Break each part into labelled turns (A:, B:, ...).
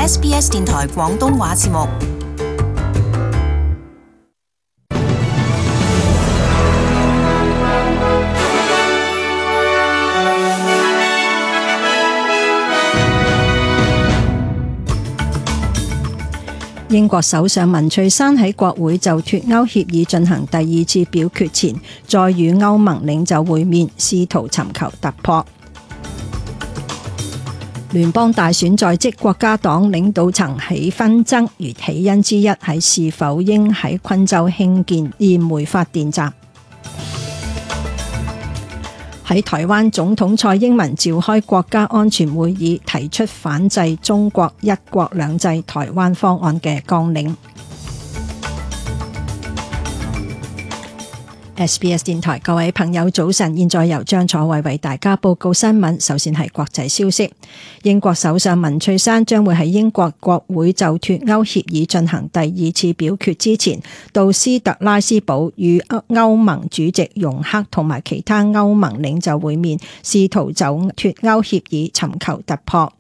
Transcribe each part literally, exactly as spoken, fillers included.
A: S B S 電台廣東話節目。
B: 英國首相文翠珊喺國會就脫歐協議進行第二次表決前，再與歐盟領袖會面，試圖尋求突破。聯邦大選在即，國家黨領導層起紛爭，而起因之一係是否應喺昆州興建燃煤發電站。喺台灣總統蔡英文召開國家安全會議，提出反制中國一國兩制台灣方案嘅綱領。S B S 電台各位朋友早晨，現在由張楚慧為大家報告新聞。首先係國際消息，英國首相文翠珊將會喺英國國會就脫歐協議進行第二次表決之前，到斯特拉斯堡與歐盟主席容克同埋其他歐盟領袖會面，試圖就脫歐協議尋求突破。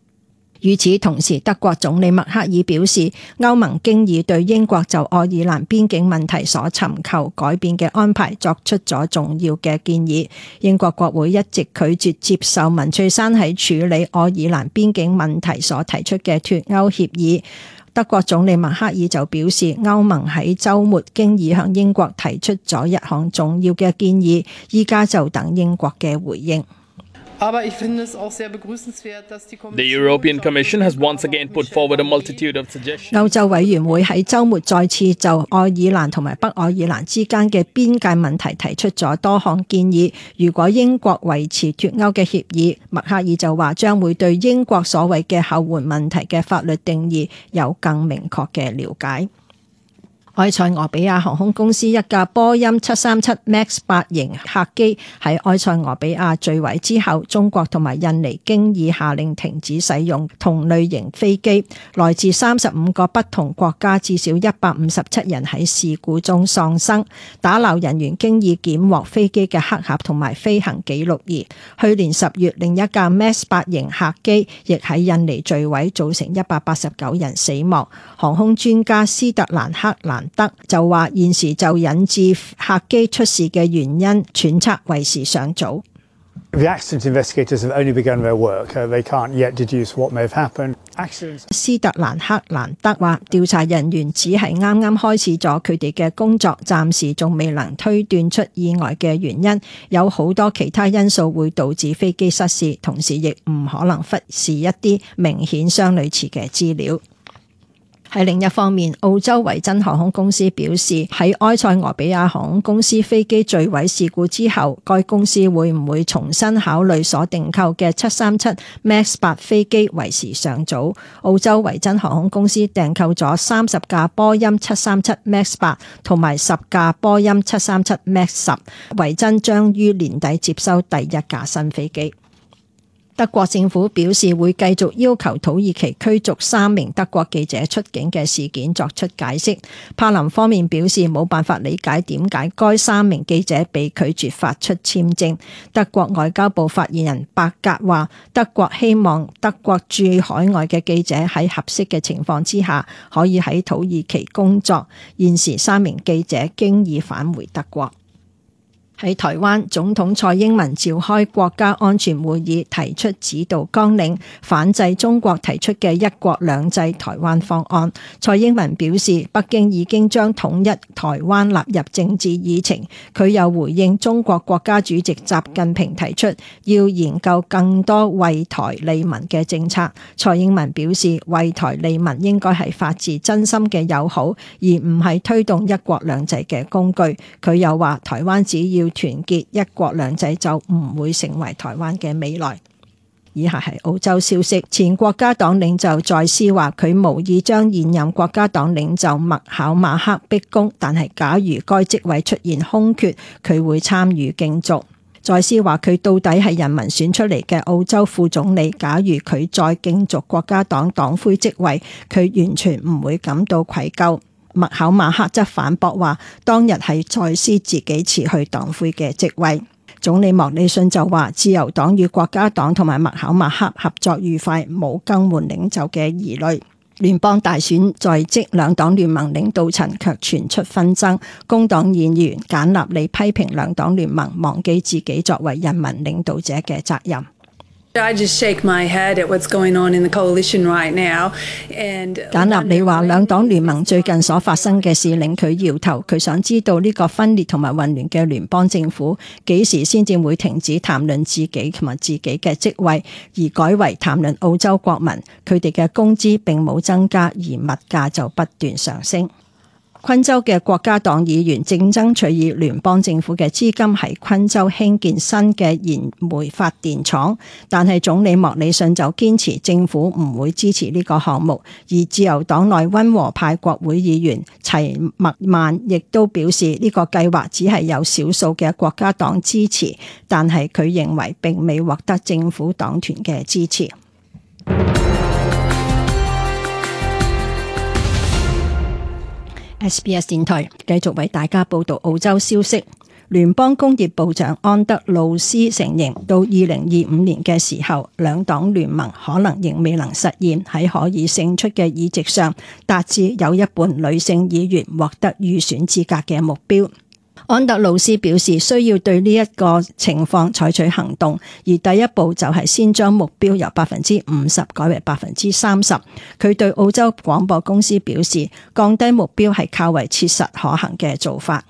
B: 與此同時，德國總理默克爾表示，歐盟經已對英國就愛爾蘭邊境問題所尋求改變嘅安排作出咗重要嘅建議。英國國會一直拒絕接受文翠珊喺處理愛爾蘭邊境問題所提出嘅脫歐協議。德國總理默克爾就表示，歐盟喺週末經已向英國提出咗一項重要嘅建議，依家就等英國嘅回應。
C: The European Commission has once again put forward a multitude of suggestions.
B: 歐洲委員會喺週末再次就愛爾蘭同埋北愛爾蘭之間嘅邊界問題提出咗多項建議。如果英國維持脫歐嘅協議，默克爾就話將會對英國所謂嘅後援問題嘅法律定義有更明確嘅了解。埃塞俄比亞航空公司一架波音七三七 MAX 八型客機喺埃塞俄比亞墜毀之後，中國同埋印尼經已下令停止使用同類型飛機。來自三十五個不同國家至少一百五十七人喺事故中喪生。打撈人員經已檢獲飛機嘅黑盒同埋飛行記錄儀。去年十月，另一架 MAX 八型客機亦喺印尼墜毀，造成一百八十九人死亡。航空專家斯特蘭克蘭德就話，現時就引致客機出事嘅原因揣測為時尚早。
D: The accident investigators have only begun their work. They can't yet deduce what may have happened.
B: 斯特蘭克蘭德話，調查人員只係啱啱開始咗佢哋嘅工作，暫時仲未能推斷出意外嘅原因。有好多其他因素會導致飛機失事，同時亦唔可能忽視一啲明顯相類似嘅資料。喺另一方面，澳洲維珍航空公司表示，喺埃塞俄比亞航空公司飛機墜毀事故之後，該公司會唔會重新考慮所訂購嘅七三七 MAX 八飛機為時尚早。澳洲維珍航空公司訂購咗三十架波音七三七 MAX 八同埋十架波音七三七 MAX 十，維珍將於年底接收第一架新飛機。德國政府表示會繼續要求土耳其驅逐三名德國記者出境嘅事件作出解釋。柏林方面表示冇辦法理解點解該三名記者被拒絕發出簽證。德國外交部發言人伯格話，德國希望德國駐海外嘅記者喺合適嘅情況之下可以喺土耳其工作。現時三名記者經已返回德國。喺台灣，總統蔡英文召開國家安全會議，提出指導綱領，反制中國提出嘅一國兩制台灣方案。蔡英文表示，北京已經將統一台灣納入政治議程。佢又回應中國國家主席習近平提出要研究更多為台利民嘅政策。蔡英文表示，為台利民應該係發自真心嘅友好，而唔係推動一國兩制嘅工具。佢又話，台灣只要團結一國兩制就唔會成為台灣嘅未來。以下係澳洲消息，前國家黨領袖在斯話佢無意將現任國家黨領袖麥考馬克逼宮，但係假如該職位出現空缺，佢會參與競逐。在斯話佢到底係人民選出嚟嘅澳洲副總理，假如佢再競逐國家黨黨魁職位，佢完全唔會感到愧疚。麥考馬克則反駁話，當日係在斯自己辭去黨魁嘅職位。總理莫里遜就話，自由黨與國家黨同埋麥考馬克合作愉快，冇更換領袖嘅疑慮。聯邦大選在即，兩黨聯盟領導層卻傳出紛爭。工黨議員簡納里批評兩黨聯盟忘記自己作為人民領導者嘅責任。
E: I just shake my head at what's going on in the coalition right now. And
B: 簡納里話兩黨聯盟最近所發生嘅事令佢搖頭，佢想知道呢個分裂同埋混亂嘅聯邦政府幾時先至會停止談論自己同埋自己嘅職位，而改為談論澳洲國民，佢哋嘅工資並冇增加，而物價就不斷上升。昆州嘅國家黨議員正爭取以聯邦政府嘅資金喺昆州興建新嘅燃煤發電廠，但係總理莫里遜就堅持政府唔會支持呢個項目，而自由黨內溫和派國會議員齊默曼亦都表示呢個計劃只係有少數嘅國家黨支持，但係佢認為並未獲得政府黨團嘅支持。S B S 電台繼續為大家報道澳洲消息。聯邦工業部長安德魯斯承認，到二零二五年嘅時候，兩黨聯盟可能仍未能實現喺可以勝出嘅議席上達至有一半女性議員獲得預選資格嘅目標。安德魯斯表示需要對呢一個情況採取行動，而第一步就係先將目標由百分之五十改為百分之三十。佢對澳洲廣播公司表示，降低目標係較為切實可行嘅做法。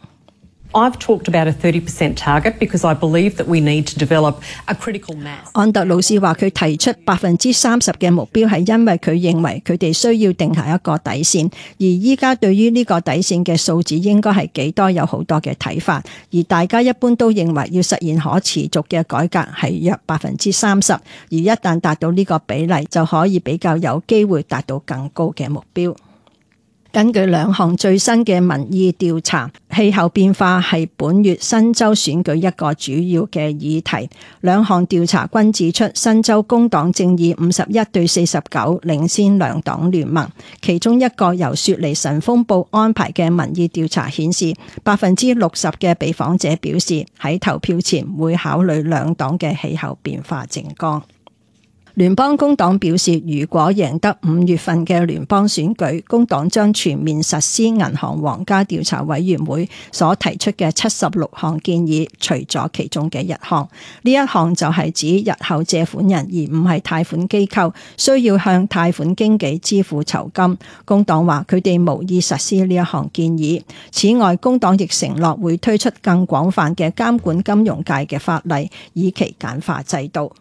F: I've talked about a thirty percent target because I believe that we need to develop a critical mass.
B: 安德魯斯話佢提出百分之三十嘅目標係因為佢認為佢哋需要定下一個底線，而依家對於呢個底線嘅數字應該係幾多有好多嘅睇法，而大家一般都認為要實現可持續嘅改革係約百分之三十，而一旦達到呢個比例就可以比較有機會達到更高嘅目標。根據兩項最新嘅民意調查，氣候變化係本月新州選舉一個主要嘅議題。兩項調查均指出，新州工黨正以五十一對四十九領先兩黨聯盟。其中一個由雪梨晨鋒報安排嘅民意調查顯示，百分之六十嘅被訪者表示喺投票前會考慮兩黨嘅氣候變化政綱。聯邦工黨表示，如果贏得五月份嘅聯邦選舉，工黨將全面實施銀行皇家調查委員會所提出嘅七十六項建議，除咗其中嘅一項。呢一項就係指日後借款人而唔係貸款機構需要向貸款經紀支付酬金。工黨話佢哋無意實施呢一項建議。此外，工黨亦承諾會推出更廣泛嘅監管金融界嘅法例，以期簡化制度。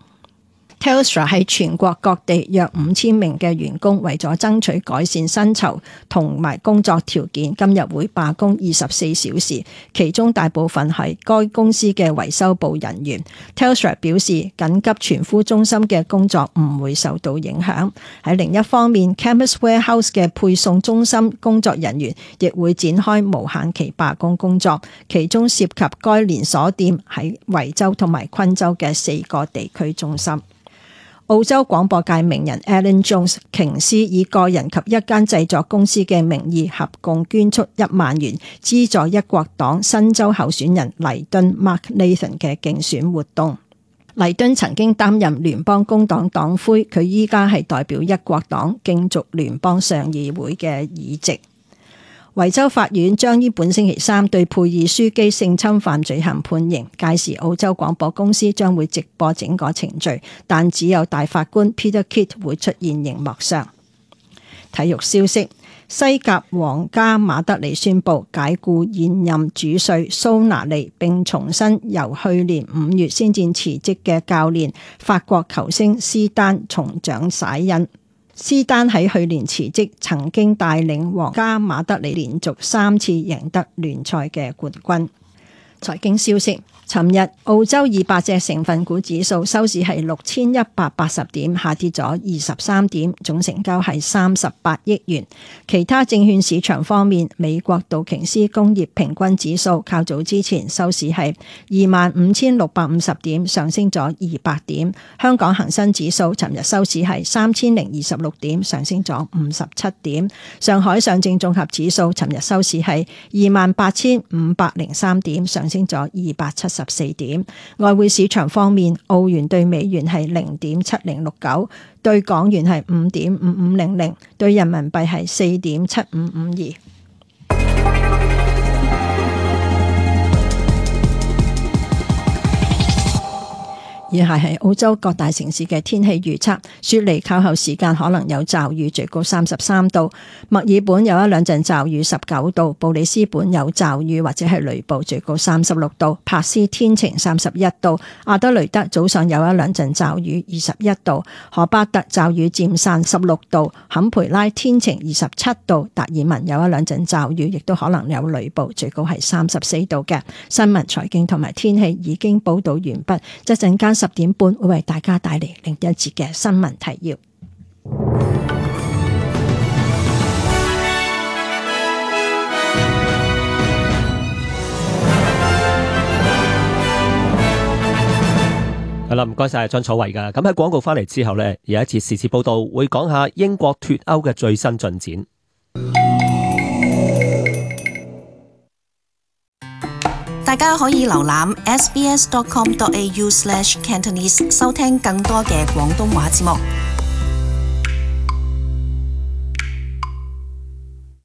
B: Telstra 喺全國各地約五千名嘅員工為咗爭取改善薪酬同埋工作條件，今日會罷工二十四小時，其中大部分係該公司嘅維修部人員。Telstra 表示，緊急傳呼中心嘅工作唔會受到影響。喺另一方面 Chemist Warehouse 嘅配送中心工作人員亦會展開無限期罷工工作，其中涉及該連鎖店喺維州同埋昆州嘅四個地區中心。澳洲廣播界名人 Alan Jones 瓊斯以個人及一間製作公司嘅名義合共捐出一萬元，資助一國黨新州候選人黎敦 Mark Nathan 嘅競選活動。黎敦曾經擔任聯邦工黨黨魁，佢依家係代表一國黨競逐聯邦上議會嘅議席。維州法院將於本星期三對佩爾樞機性侵犯罪行判刑，屆時澳洲廣播公司將會直播整個程序，但只有大法官 Peter Kidd 會出現熒幕上。體育消息：西甲皇家馬德里宣布解雇現任主帥蘇拿利，並重新由去年五月先至辭職嘅教練法國球星斯丹重掌璽印。斯丹喺去年辭職，曾經帶領皇家馬德里連續三次贏得聯賽嘅冠軍。財經消息：尋日澳洲二百隻成分股指數收市係六千一百八十點，下跌咗二十三點，總成交係三十八億元。其他證券市場方面，美國道瓊斯工業平均指數較早之前收市係二萬五千六百五十點，上升咗二百點。香港恒生指數尋日收市係三千零二十六點，上升咗五十七點。上海上證綜合指數尋日收市係二萬八千五百零三點，上升咗二百七十十四點。外匯市場方面，澳元對美元係零點七零六九，對港元係五點五五零零，對人民幣係四點七五五二。以下係澳洲各大城市嘅天氣預測。雪梨靠後時間可能有驟雨，最高三十三度；墨爾本有一兩陣驟雨，十九度；布里斯本有驟雨或者係雷暴，最高三十六度；珀斯天晴，三十一度；阿德雷德早上有一兩陣驟雨，二十一度；荷巴特驟雨漸散，十六度；坎培拉天晴，二十七度；達爾文有一兩陣驟雨，亦都可能有雷暴，最高係三十四度嘅。新聞、財經同埋天氣已經報道完畢，一陣間十點半會為大家帶嚟另一節嘅新聞提要。
G: 係啦，唔該晒張楚慧噶。咁喺廣告翻嚟之後呢，有一節時事報道會講下英國脫歐嘅最新進展。
A: 大家可以瀏覽 s b s dot com dot a u slash cantonese 收聽更多嘅廣東話節目。